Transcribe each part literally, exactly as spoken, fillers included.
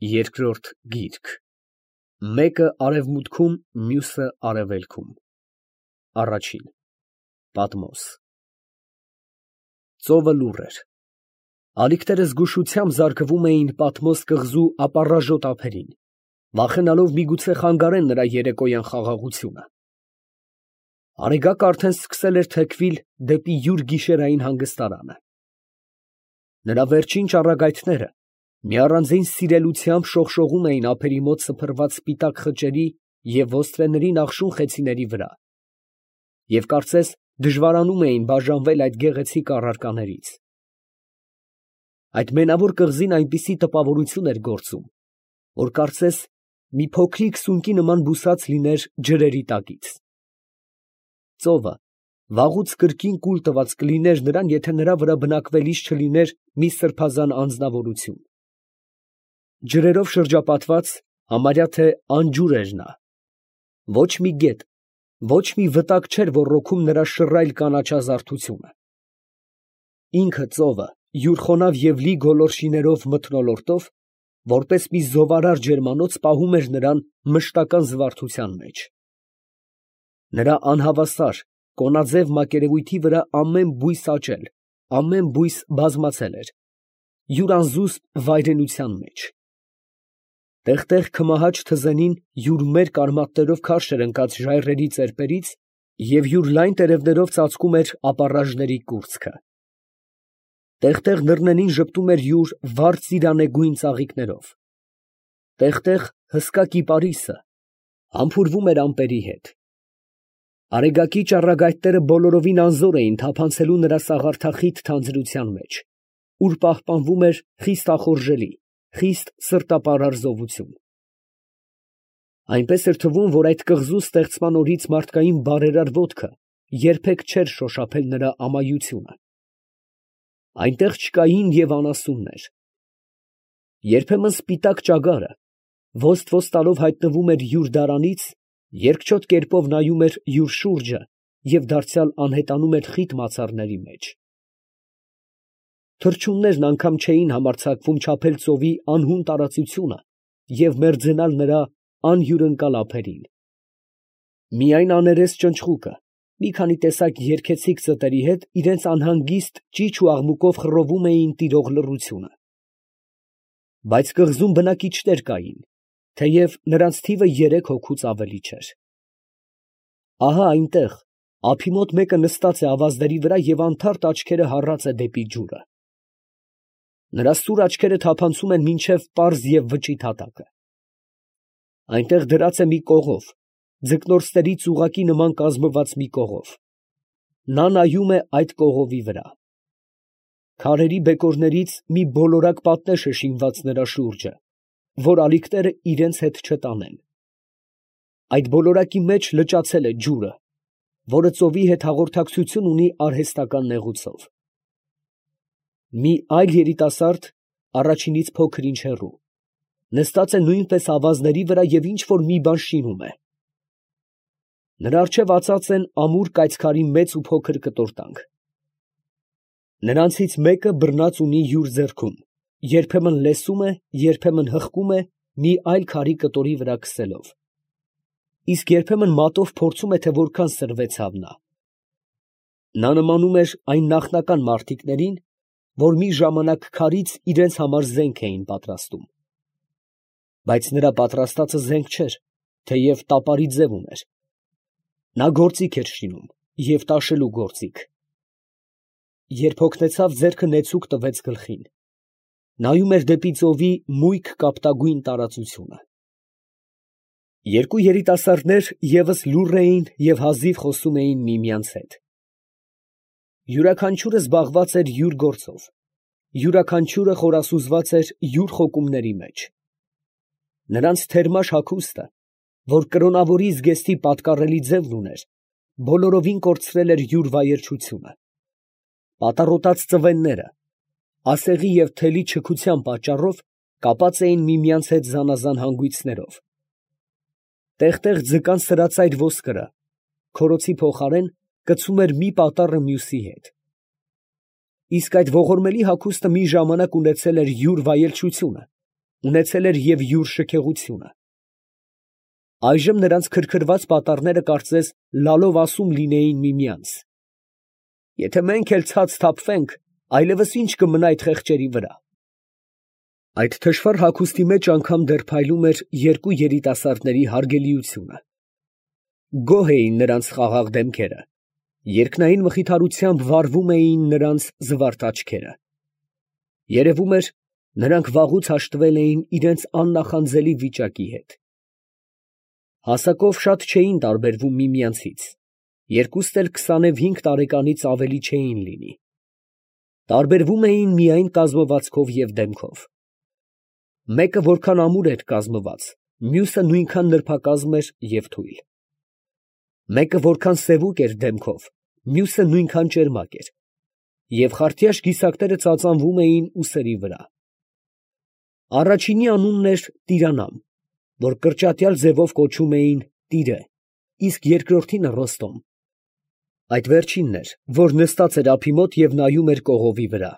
Երկրորդ գիրք, մեկը արևմուտքում, մյուսը արևելքում, առաջին, Պատմոս։ Ծովը լուռ էր, ալիքները զգուշությամբ զարկվում էին Պատմոս կղզու ապառաժոտ ափերին, վախենալով միգուցե խանգարեն նրա երեկոյան խաղաղությունը։ Արեգակը արդեն սկսել էր թեքվել դեպի յուր գիշերային հանգստարանը։ Նրա վերջին ճառագայթները մի առանձին սիրելությամբ շողշողում էին ափերի մոտ սփռված սպիտակ խճերի և ոստրեների նախշուն խեցիների վրա, և կարծես դժվարանում էին բաժանվել այդ գեղեցիկ առարկաներից։ Այդ մենավոր կղզին այնպիսի տպավորություն էր գործում, որ կարծես մի փոքրիկ սունկի նման բուսած լիներ ջրերի տակից։ Ծովը վաղուց կրկին կուլ տված կլիներ նրան, եթե նրա վրա բնակվելիս չլիներ մի սրբազան անձնավորություն։ Ջրերով շրջապատված, համարյա թե անջուր էր նա. ոչ մի գետ, ոչ մի վտակ չէր ոռոգում նրա շռայլ կանաչազարդությունը։ Ինքը ծովը յուր խոնավ և լի գոլորշիներով մթնոլորտով, որպես մի զովարար ջերմանոց, պահում էր նրան մշտական զվարթության մեջ։ Նրա անհավասար, կոնաձև մակերևույթի վրա ամեն բույս աճել, ամեն բույս բազմացել էր, յուր անզուսպ վայրենության մեջ։ Տեղ֊տեղ քմահաճ թզենին յուր մերկ արմատներով քարշ էր ընկած ժայռերի ծեպերից և յուր լայն տերևներով ծածկում էր ապառաժների կուրծքը։ Տեղ֊տեղ նռնենին ժպտում էր յուր վառ ծիրանեգույն ծաղիկներով։ Տեղ֊տեղ հսկա կիպարիսը համբուրվում էր ամպերի հետ։ Արեգակի ճառագայթները բոլորովին անզոր էին թափանցելու նրա սաղարթախիտ թանձրության մեջ, ուր պահպանվում էր խիստ ախորժելի, խիստ սրտապարար զովություն։ Այնպես էր թվում, որ այդ կղզու ստեղծման օրից մարդկային բարերար ոտքը երբեք չէր շոշափել նրա ամայությունը։ Այնտեղ չկային և անասուններ։ Երբեմն սպիտակ ճագարը ոստ-ոստ տալով հայտնվում էր յուր դարանից, երկչոտ կերպով նայում էր յուր շուրջը և դարձյալ անհետանում էր խիտ մացառների մեջ։ Թռչուններն անգամ չէին համարձակվում չափել ծովի անհուն տարածությունը և մերձենալ նրա անհյուրընկալ ափերին։ Միայն աներես ճնճղուկը մի քանի տեսակ երգեցիկ ծտերի հետ իրենց անհանգիստ ճիչ ու աղմուկով խռովում էին տիրող լռությունը։ Բայց կղզում բնակիչներ կային, թեև նրանց թիվը երեք հոգուց ավելի չէր։ Ահա այնտեղ, ափի մոտ մեկը նստած է ավազների վրա և անթարթ աչքերը հառած է դեպի ջուրը։ Նրա սուր աչքերը թափանցում են մինչև պարզ և վճիտ հատակը։ Այնտեղ դրած է մի կողով, ձկնորսների ծուղակի նման կազմված մի կողով։ Նա նայում է այդ կողովի վրա։ Քարերի բեկորներից մի բոլորակ պատնեշ է շինված նրա շուրջը, որ ալիքները իրանց հետ չտանեն։ Այդ բոլորակի մեջ լճացել է ջուրը, որը ծովի հետ հաղորդակցություն ունի արհեստական նեղուցով։ Մի այլ երիտասարդ, առաջինից փոքր ինչ հեռու, նստած է նույնպես ավազների վրա և ինչ֊որ մի բան շինում է։ Նրա առջև ածած են ամուր կայծքարի մեծ ու փոքր կտորտանք։ Նրանցից մեկը բռնած ունի յուր ձեռքում, երբեմն լեսում է, երբեմն հղկում է մի այլ քարի կտորի վրա քսելով, իսկ երբեմն մատով փորձում է, թե որքան սրվեցավ նա։ Նա նմանում էր այն նախնական մարդիկներին, որ մի ժամանակ քարից իրանց համար զենք էին պատրաստում։ Բայց նրա պատրաստածը զենք չէր, թեև տապարի ձև ուներ։ Նա գործիք էր շինում և տաշելու գործիք։ Երբ հոգնեցավ, ձեռքը նեցուկ տվեց գլխին։ Նայում էր դեպի ծովի մույկ կապտագույն տարածությունը։ Երկու երիտասարդներ ևս լուռ էին և հազիվ խոսում էին միմյանց հետ։ Յուրաքանչյուրը զբաղված էր յուր գործով, յուրաքանչյուրը խորասուզված էր յուր խոկումների մեջ։ Նրանց թերմաշ հագուստը, որ կրոնավորի զգեստի պատկառելի ձևն ուներ, բոլորովին կորցրել էր յուր վայրչությունը։ Պատառոտած ծվենները, ասեղի և թելի չքության պատճառով, կապած էին միմյանց հետ զանազան հանգույցներով։ Տեղ֊տեղ ձկան սրածայր ոսկրը, քորոցի փոխարեն, կցում էր մի պատառը մյուսի հետ։ Իսկ այդ ողորմելի հագուստը մի ժամանակ ունեցել էր յուր վայելչությունը, ունեցել էր և յուր շքեղությունը։ Այժմ նրանց քրքրված պատառները կարծես լալով ասում լինեին միմյանց. «Եթե մենք էլ ցած թափվենք, այլևս ի՞նչ կմնա այդ խեղճերի վրա»։ Այդ թշվառ հագուստի մեջ անգամ դեռ փայլում էր երկու երիտասարդների հարգելիությունը։ Գոհ էին նրանց խաղաղ դեմքերը, երկնային մխիթարությամբ վառվում էին նրանց զվարթ աչքերը։ Երևում էր, նրանք վաղուց հաշտվել էին իրենց աննախանձելի վիճակի հետ։ Հասակով շատ չէին տարբերվում միմյանցից, երկուստ էլ քսանևհինգ տարեկանից ավելի չէին լինի։ Տարբերվում էին միայն կազմվածքով և դեմքով։ Մեկը որքան ամուր էր կազմված, մյուսը նույնքան նրբակազմ էր և թույլ։ Մեկը որքան սևուկ էր դեմքով, մյուսը նույնքան ճերմակ էր, և խարտյաշ գիսակները ծածանվում էին ուսերի վրա։ Առաջինի անունն էր Տիրանամ, որ կրճատյալ ձևով կոչում էին տիրե, իսկ երկրորդինը Ռոստոմ։ Այդ վերջինն էր, որ նստած էր ափի մոտ և նայում էր կողովի վրա։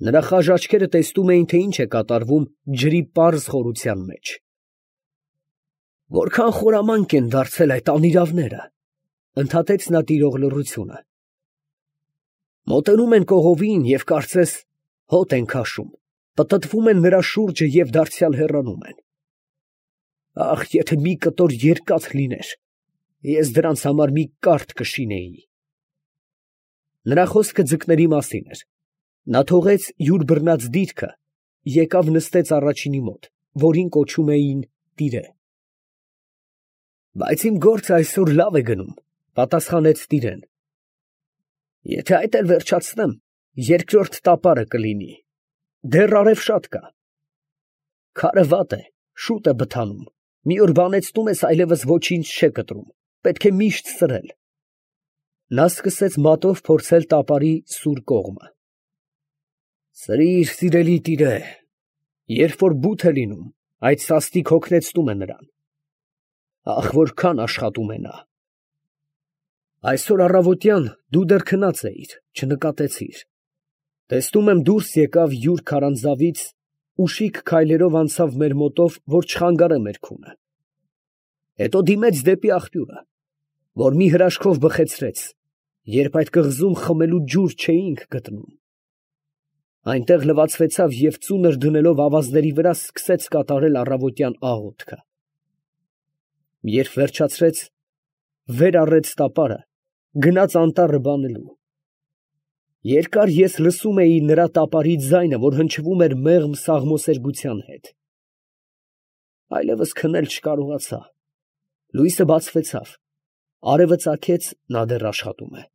Նրա խաժ աչքերը տեսնում էին, թե ինչ է կատարվում ջրի պարզ խորության մեջ։ «Որքան խորամանկ են դարձել այդ անիրավները», ֊ ընդհատեց նա տիրող լռությունը։ «Մոտենում են կողովին և կարծես հոտ են քաշում, պտտվում են նրա շուրջը և դարձյալ հեռանում են։ Ախ, եթե մի կտոր երկաթ լիներ, ես դրանց համար մի կարթ կշինեի»։ Նրա խոսքը ձկների մասին էր։ Նա թողեց յուր բռնած դիրքը, եկավ նստեց առաջինի մոտ, որին կոչում էին տիրե։ «Բայց իմ գործը այսօր լավ է գնում», ֊ պատասխանեց տիրեն։ «Եթե այդ էլ վերջացնեմ, երկրորդ տապարը կլինի, դեռ արև շատ կա։ Քարը վատ է, շուտ է բթանում, մի օր բանեցնում ես, այլևս ոչինչ չէ կտրում, պետք է միշտ սրել»։ Նա սկսեց մատով փորձել տապարի սուր կողմը։ «Սրիր, սիրելի տիրե, երբ որ բութ է լինում, այդ սաստիկ հոգնեցնում է նրան։ Ախ, որքան աշխատում է նա։ Այսօր առավոտյան դու դեռ քնած էիր, չնկատեցիր։ Տեսնում եմ դուրս եկավ յուր քարանձավից, ուշիք քայլերով անցավ մեր մոտով, որ չխանգարե մեր քունը։ Հետո դիմեց դեպի աղբյուրը, որ մի հրաշքով բխեցրեց, երբ այդ կղզում խմելու ջուր չէինք գտնում։ Այնտեղ լվացվեցավ և ծունր դնելով ավազների վրա սկսեց կատարել առավոտյան աղոթքը։ Երբ վերջացրեց, վեր առեց տապարը, գնաց անտառը բանելու։ Երկար ես լսում էի նրա տապարի ձայնը, որ հնչվում էր մեղմ սաղմոսերգության հետ։ Այլևս քնել չկարողացա։ Լույսը բացվեցավ, արևը ծագեց, նա դեռ աշխատում է։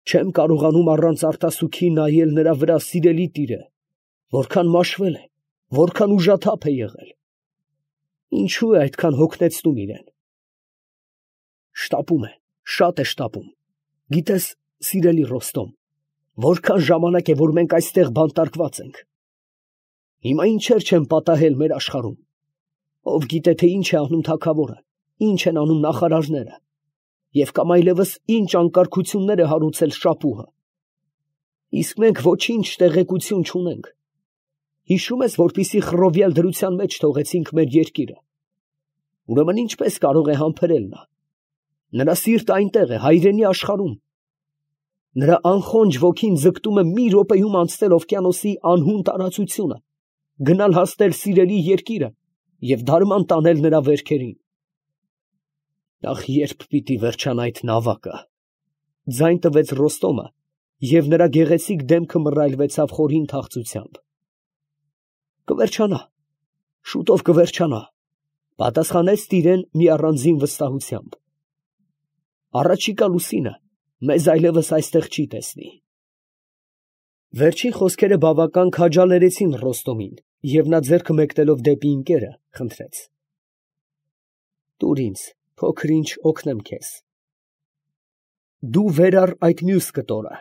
Չեմ կարողանում առանց արտասուքի նայել նրա վրա, սիրելի տիրե, որքան մաշվել է, որքան ուժաթափ է եղել։ Ինչո՞ւ է այդքան հոգնեցնում իրեն։ Շտապում է, շատ է շտապում։ Գիտես, սիրելի Ռոստոմ, որքան ժամանակ է, որ մենք այստեղ բանտարկված ենք։ Հիմա ինչեր չեն պատահել մեր աշխարհում։ Ով գիտե, թե ինչ է անում թագավորը, ինչ են անում նախարարները, և կամ այլևս ինչ անկարգություններ է հարուցել շապուհը։ Իսկ մենք ոչինչ տեղեկություն չունենք։ Հիշում ես, որպիսի խռովյալ դրության մեջ թողեցինք մեր երկիրը։ Ուրեմն ինչպես կարող է համբերել նա։ Նրա սիրտը այնտեղ է, հայրենի աշխարհում։ Նրա անխոնջ ոգին ձգտում է մի րոպեում անցնել օվկիանոսի անհուն տարածությունը, գնալ հասնել սիրելի երկիրը և դարման տանել նրա վերքերին։ Ախ, երբ պիտի վերջանա այդ նավակը։ Ձայն տվեց Ռոստոմը, և նրա գեղեցիկ դեմքը մռայլվեցավ խորին թախծությամբ։ Կվերջանա, շուտով կվերջանա, պատասխանեց տիրեն մի առանձին վստահությամբ։ Առաջիկա լուսինը մեզ այլևս այստեղ չի տեսնի։ Վերջին խոսքերը բավական քաջալերեցին Ռոստոմին, և նա ձեռքը մեկնելով դեպի ընկերը, խնդրեց. «Տուր ինձ, փոքր ինչ օգնեմ քեզ»։ Դու վեր առ այդ մյուս կտորը։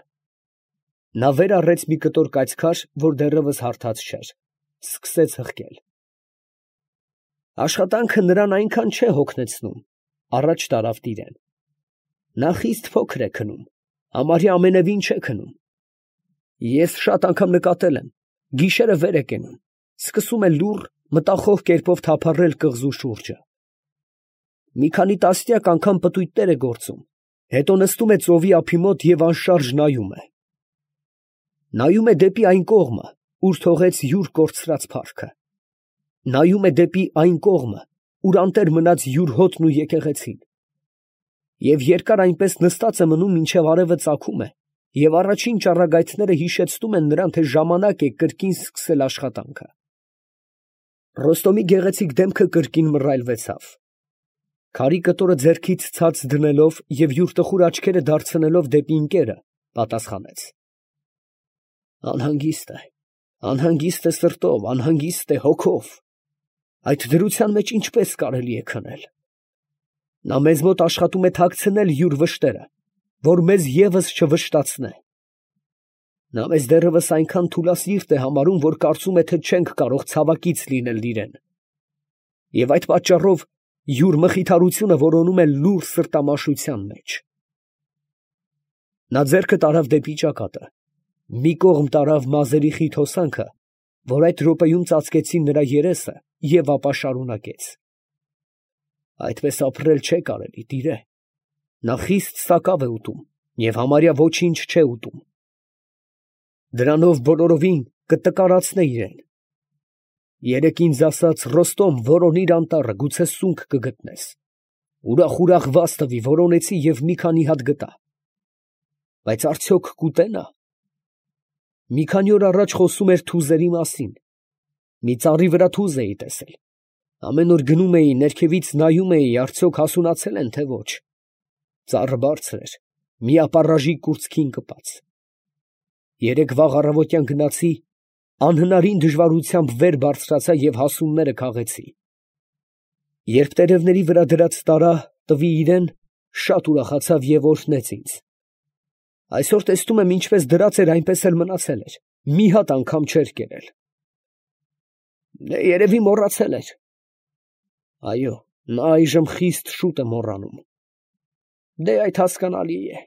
Նա վեր առեց մի կտոր կայծքար, որ դեռևս հարթած չէր, սկսեց հղկել։ Աշխատանքը նրան այնքան չէ հոգնեցնում, առաջ տարավ տիրեն։ Նա խիստ փոքր է քնում, համարյա ամենևին չէ քնում։ Ես շատ անգամ նկատել եմ, գիշերը վեր է կենում, սկսում է լուռ, մտախոհ կերպով թափառել կղզու շուրջը։ Մի քանի տասնյակ անգամ պտույտներ է գործում, հետո նստում է ծովի ափի մոտ և անշարժ նայում է։ Նայում է դեպի այն կողմը, ուր թողեց յուր կորցրած փառքը։ Նայում է դեպի այն կողմը, ուր անտեր մնաց յուր հոտն ու եկեղեցին։ Եվ երկար այնպես նստած է մնում, մինչև արևը ծագում է, և առաջին ճառագայթները հիշեցնում են նրան, թե ժամանակ է կրկին սկսել աշխատանքը։ Ռոստոմի գեղեցիկ դեմքը կրկին մռայլվեցավ։ Քարի կտորը ձեռքից ցած դնելով և յուր տխուր աչքերը դարձնելով դեպի ընկերը, պատասխանեց. Անհանգիստ է, անհանգիստ է սրտով, անհանգիստ է հոգով. այդ դրության մեջ ինչպես կարելի է քնել։ Նա մեզ մոտ աշխատում է թաքցնել յուր վշտերը, որ մեզ ևս չվշտացնե։ Նա մեզ դեռևս այնքան թուլասիրտ է համարում, որ կարծում է, թե չենք կարող ցավակից լինել իրեն, և այդ պատճառով յուր մխիթարությունը որոնում է լուռ սրտամաշության մեջ։ Նա ձեռքը տարավ դեպի ճակատը, մի կողմ տարավ մազերի խիտ հոսանքը, որ այդ րոպեում ծածկեցին նրա երեսը, և ապա շարունակեց. Այդպես ապրել չէ կարելի, տիրե. նա խիստ սակավ է ուտում և համարյա ոչինչ չէ ուտում. դրանով բոլորովին կտկարացնե իրեն. երեկ ինձ ասաց. Ռոստոմ, որոնիր անտառը, գուցե սունկ կգտնես. ուրախ֊ուրախ վազ տվի, որոնեցի և մի քանի հատ գտա. բայց արդյոք կուտե նա։ Մի քանի օր առաջ խոսում էր թուզերի մասին. մի ծառի վրա թուզ էի տեսել. ամեն օր գնում էի, ներքևից նայում էի, արդյոք հասունացել են, թե ոչ. ծառը բարձր էր, մի ապառաժի կուրծքին կպած. երեկ վաղ առավոտյան գնացի, անհնարին դժվարությամբ վեր բարձրացա և հասունները քաղեցի. երբ տերևների վրա դրած տարա, տվի իրան, շատ ուրախացավ և օրհնեց ինձ. այսօր տեսնում եմ, ինչպես դրած էր, այնպես էլ մնացել էր, մի հատ անգամ չէր կերել։ Երևի մոռացել էր։ Այո, նա այժմ խիստ շուտ է մոռանում։ Դե այդ հասկանալի է։